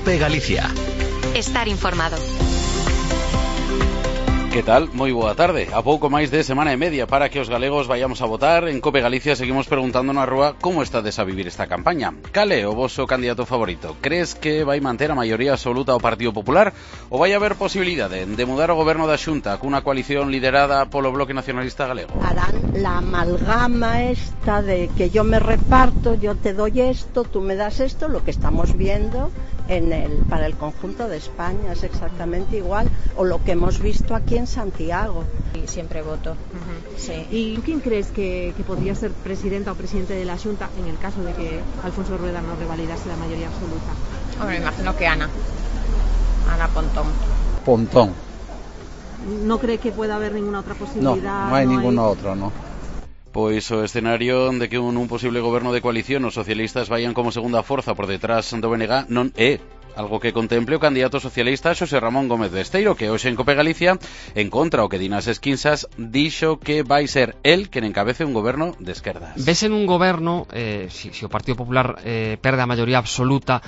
COPE Galicia. Estar informado. Que tal? Moi boa tarde. A pouco máis de semana e media para que os galegos vayamos a votar. En COPE Galicia seguimos preguntando na rúa como estades a vivir esta campaña. Cal é o voso candidato favorito? Crees que vai manter a maioría absoluta ao Partido Popular ou vai haber posibilidade de mudar o goberno da Xunta cunha coalición liderada polo Bloque Nacionalista Galego? Harán la amalgama esta de que yo me reparto, yo te doy esto, tú me das esto, lo que estamos viendo para el conjunto de España es exactamente igual, o lo que hemos visto aquí en Santiago. Y siempre voto. Sí. ¿Y quién crees que podría ser presidenta o presidente de la Xunta en el caso de que Alfonso Rueda no revalidase la mayoría absoluta? Hombre, me imagino que Ana Pontón. Pontón. ¿No cree que pueda haber ninguna otra posibilidad? No hay ninguna otra, ¿no? Pois o escenario de que un posible goberno de coalición os socialistas vayan como segunda forza por detrás do BNG non é algo que contemple o candidato socialista Xosé Ramón Gómez Besteiro, que hoxe en COPE Galicia, en contra o que din as esquinsas, dixo que vai ser el quen encabece un goberno de esquerdas. Ves en un goberno, se o Partido Popular perde a maioría absoluta,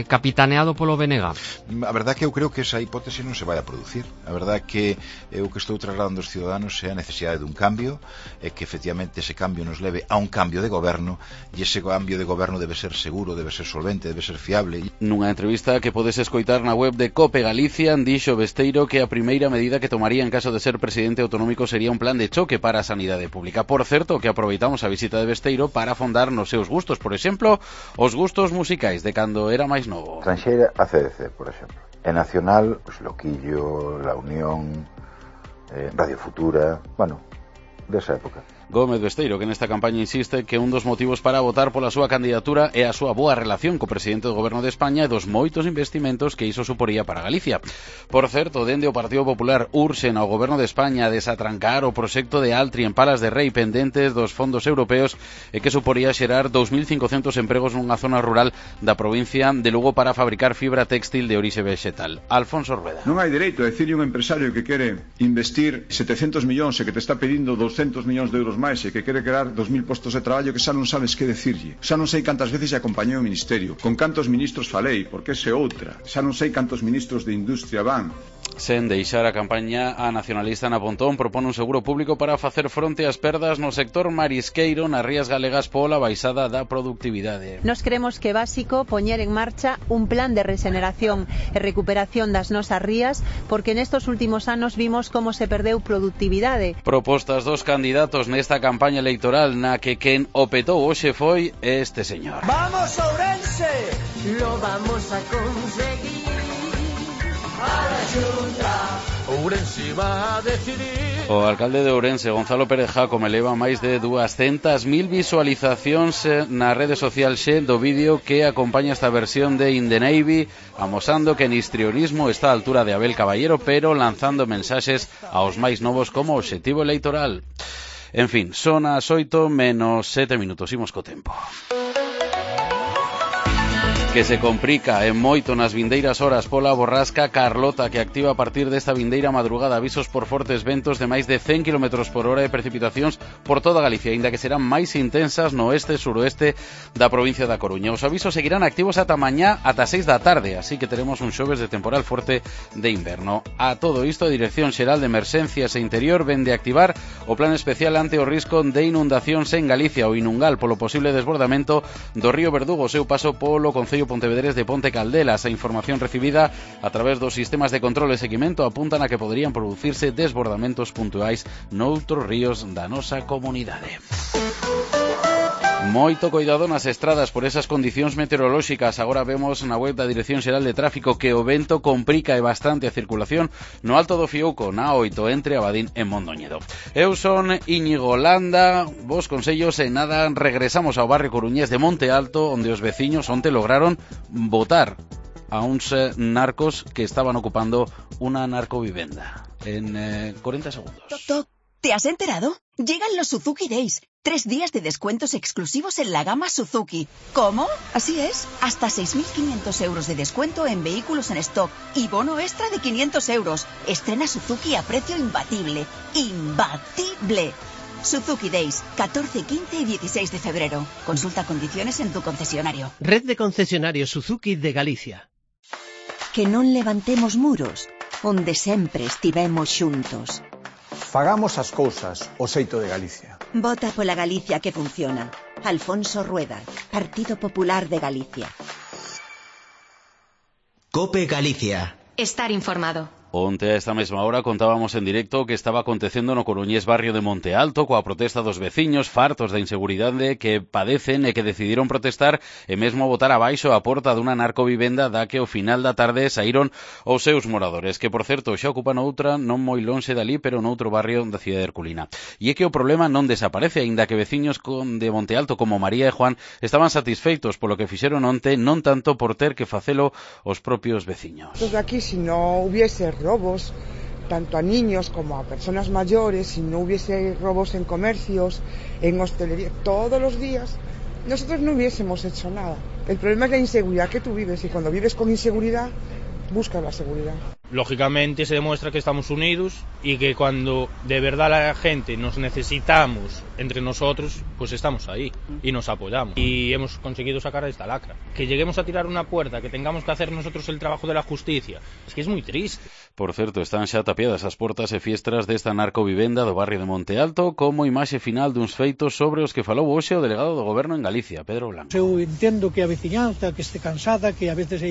capitaneado polo BNG? A verdade que eu creo que esa hipótese non se vai a producir. A verdade que o que estou trasladando aos ciudadanos é a necesidade dun cambio, e que efectivamente ese cambio nos leve a un cambio de goberno, e ese cambio de goberno debe ser seguro, debe ser solvente, debe ser fiable. Nunha entrevista que podes escoitar na web de COPE Galicia, dixo Besteiro que a primeira medida que tomaría en caso de ser presidente autonómico sería un plan de choque para a sanidade pública. Por certo, que aproveitamos a visita de Besteiro para afondar nos seus gustos, por exemplo, os gustos musicais de cando era máis novo. Tranxeira, ACDC, por exemplo. E nacional, pues, Loquillo, La Unión, Radio Futura, bueno, desa época. Gómez Besteiro, que nesta campaña insiste que un dos motivos para votar pola súa candidatura é a súa boa relación co presidente do Goberno de España e dos moitos investimentos que iso suporía para Galicia. Por certo, dende o Partido Popular urxen ao Goberno de España a desatrancar o proxecto de Altri en Palas de Rei pendentes dos fondos europeos e que suporía xerar 2.500 empregos nunha zona rural da provincia de Lugo para fabricar fibra textil de orixe vegetal. Alfonso Rueda. Non hai dereito a decirle un empresario que quere investir 700 millóns e que te está pedindo 200 millóns de euros máis e que quere crear 2.000 postos de traballo que xa non sabes que decirlle. Xa non sei cantas veces acompañei o Ministerio, con cantos ministros falei, porque ese outra. Xa non sei cantos ministros de Industria van. Sen deixar a campaña, a nacionalista Ana Pontón propone un seguro público para facer fronte ás perdas no sector marisqueiro nas rías galegas pola baixada da productividade. Nos creemos que é básico poñer en marcha un plan de regeneración e recuperación das nosas rías, porque nestos últimos anos vimos como se perdeu productividade. Propostas dos candidatos nesta campaña electoral na que quen o petou hoxe foi este señor. ¡Vamos, Ourense! Lo vamos a conseguir. Ourense va a decidir. O alcalde de Ourense, Gonzalo Pérez Jacome, leva máis de 200.000 visualizacións na rede social Xe do vídeo que acompaña esta versión de In the Navy, amosando que en histrionismo está a altura de Abel Caballero, pero lanzando mensaxes aos máis novos como obxectivo electoral. En fin, son as 8 menos 7 minutos, imos co tempo. Que se complica en moito nas vindeiras horas pola borrasca Carlota, que activa a partir desta vindeira madrugada avisos por fortes ventos de máis de 100 km por hora e precipitacións por toda Galicia, aínda que serán máis intensas no oeste e suroeste da provincia da Coruña. Os avisos seguirán activos ata mañá ata 6 da tarde, así que teremos un xoves de temporal forte de inverno. A todo isto, a Dirección Xeral de Emerxencias e Interior vende activar o plan especial ante o risco de inundacións en Galicia, o Inungal, polo posible desbordamento do río Verdugo, o seu paso polo Concello Pontevedrés de Ponte Caldelas. A información recibida a través dos sistemas de control e seguimento apuntan a que poderían producirse desbordamentos puntuais noutros ríos da nosa comunidade. Moito cuidado nas estradas por esas condicións meteorolóxicas. Agora vemos na web da Dirección Xeral de Tráfico que o vento complica e bastante a circulación no Alto do Fiouco, na 8 entre Abadín e Mondoñedo. Eu son Íñigo Landa, vos consellos e nada, regresamos ao barrio coruñés de Monte Alto, onde os veciños onte lograron botar a uns narcos que estaban ocupando unha narcovivenda. En 40 segundos. ¿Te has enterado? Llegan los Suzuki Days. 3 días de descuentos exclusivos en la gama Suzuki. ¿Cómo? Así es. Hasta 6.500 euros de descuento en vehículos en stock y bono extra de 500 euros. Estrena Suzuki a precio imbatible. ¡Imbatible! Suzuki Days, 14, 15 y 16 de febrero. Consulta condiciones en tu concesionario. Red de concesionarios Suzuki de Galicia. que non levantemos muros, onde sempre estivemos xuntos. Fagamos as cousas o xeito de Galicia. Vota pola Galicia que funciona. Alfonso Rueda, Partido Popular de Galicia. COPE Galicia. Estar informado. Onte a esta mesma hora contábamos en directo que estaba acontecendo no coruñés barrio de Monte Alto coa protesta dos veciños fartos da inseguridade que padecen e que decidiron protestar e mesmo botar abaixo a porta dunha narcovivenda da que ao final da tarde saíron os seus moradores, que por certo xa ocupan outra non moi lonxe dali, pero noutro barrio da cidade de Herculina. E é que o problema non desaparece, aínda que veciños de Monte Alto como María e Juan estaban satisfeitos polo que fixeron onte, non tanto por ter que facelo os propios veciños. Entonces aquí, si no hubiese robos, tanto a niños como a personas mayores, si no hubiese robos en comercios, en hostelería, todos los días, nosotros no hubiésemos hecho nada. El problema es la inseguridad que tú vives, y cuando vives con inseguridad, buscas la seguridad. Lógicamente se demuestra que estamos unidos y que cuando de verdad la gente nos necesitamos entre nosotros, pues estamos ahí y nos apoyamos. Y hemos conseguido sacar esta lacra. Que lleguemos a tirar una puerta, que tengamos que hacer nosotros el trabajo de la justicia, es que es muy triste. Por certo, están xa tapiadas as portas e fiestras desta narcovivenda do barrio de Monte Alto como imaxe final duns feitos sobre os que falou hoxe o delegado do Goberno en Galicia, Pedro Blanco. Eu entendo que a veciñanza que este cansada, que a veces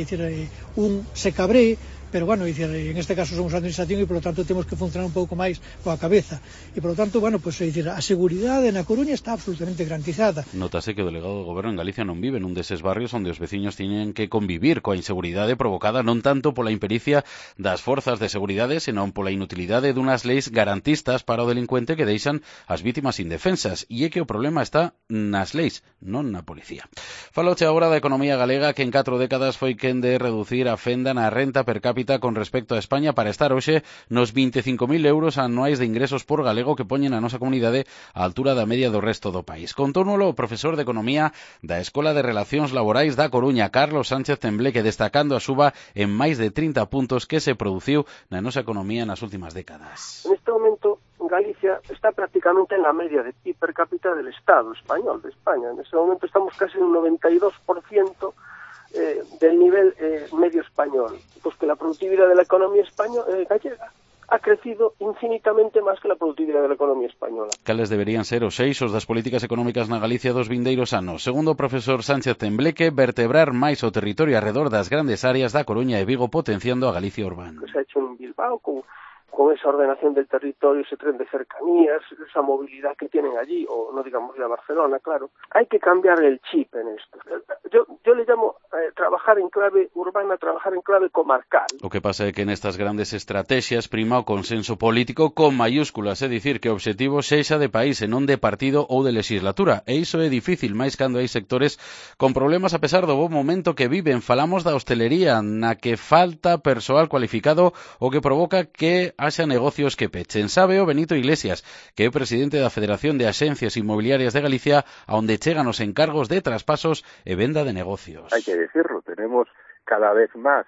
un se cabree, pero bueno, en este caso somos a administración e polo tanto temos que funcionar un pouco máis coa cabeza e polo tanto, bueno, pues a seguridade na Coruña está absolutamente garantizada. Notase que o delegado do Goberno en Galicia non vive nun deses barrios onde os veciños tiñen que convivir coa inseguridade provocada non tanto pola impericia das forzas de seguridade, senón pola inutilidade dunhas leis garantistas para o delincuente que deixan as vítimas indefensas, e é que o problema está nas leis, non na policía. Faloche agora da economía galega, que en 4 décadas foi quen de reducir a fenda na renta per cápita con respecto a España para estar hoxe nos 25.000 euros anuais de ingresos por galego que poñen a nosa comunidade á altura da media do resto do país. Contónolo o profesor de Economía da Escola de Relacións Laborais da Coruña, Carlos Sánchez Tembleque, destacando a suba en máis de 30 puntos que se produciu na nosa economía nas últimas décadas. En este momento, Galicia está prácticamente en la media de PIB per cápita del Estado español, de España. En este momento estamos casi en un 92% del nivel medio español, pues que la productividad de la economía gallega ha crecido infinitamente máis que la productividad de la economía española. Cales deberían ser os eixos das políticas económicas na Galicia dos vindeiros anos? Segundo o profesor Sánchez Tembleque, vertebrar máis o territorio arredor das grandes áreas da Coruña e Vigo, potenciando a Galicia urbana. Que se ha hecho en Bilbao con esa ordenación del territorio, ese tren de cercanías, esa movilidad que tienen allí, o no digamos de Barcelona, claro. Hay que cambiar el chip en esto. Yo le llamo trabajar en clave urbana, trabajar en clave comarcal. O que pasa é que nestas grandes estrategias prima o consenso político con mayúsculas, é dicir, que o obxectivo sexa de país e non de partido ou de legislatura. E iso é difícil, máis cando hai sectores con problemas a pesar do bo momento que viven. Falamos da hostelería, na que falta persoal cualificado, o que provoca que haxa negocios que pechen. Sabe o Benito Iglesias, que é presidente da Federación de Axencias Inmobiliarias de Galicia, a onde chegan os encargos de traspasos e venda de negocios. Hay que decirlo, tenemos cada vez más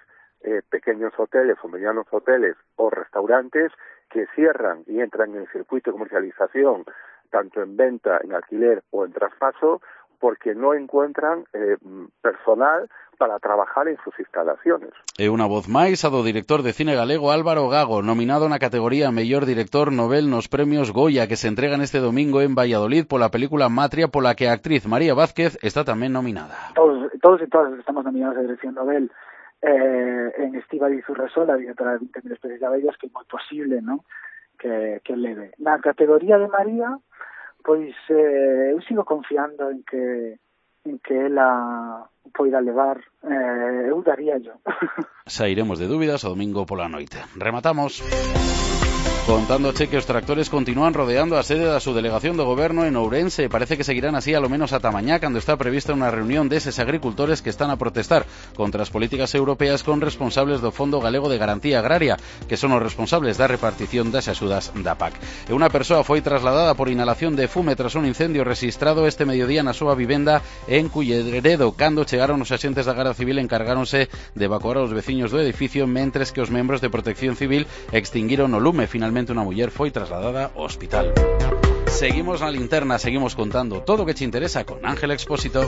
pequeños hoteles o medianos hoteles o restaurantes que cierran y entran en el circuito de comercialización, tanto en venta, en alquiler o en traspaso, porque no encuentran personal para trabajar en sus instalaciones. E unha voz máis a do director de cine galego Álvaro Gago, nominado na categoría Mellor Director Nobel nos premios Goya que se entregan este domingo en Valladolid pola película Matria, pola que a actriz María Vázquez está tamén nominada. Todos y todas estamos nominados a Dirección Nobel en Estíbaliz Urresola, directora de 20.000 especies de abellas, que é moi posible, ¿no?, que leve. Na categoría de María, pois eu sigo confiando en que ela poida levar, eu daría yo. Sairemos de dúbidas o domingo pola noite. Rematamos contándoche que os tractores continúan rodeando a sede da subdelegación do Goberno en Ourense. Parece que seguirán así a lo menos ata mañá, cando está prevista unha reunión deses agricultores que están a protestar contra as políticas europeas con responsables do Fondo Galego de Garantía Agraria, que son os responsables da repartición das axudas da PAC. E unha persoa foi trasladada por inhalación de fume tras un incendio registrado este mediodía na súa vivenda en Culleredo. Cando chegaron os axentes da Garda Civil, encargáronse de evacuar aos veciños do edificio, mentres que os membros de Protección Civil extinguiron o lume. Finalmente unha muller foi trasladada ao hospital. Seguimos na linterna, seguimos contando todo o que te interesa con Ángel Expósito.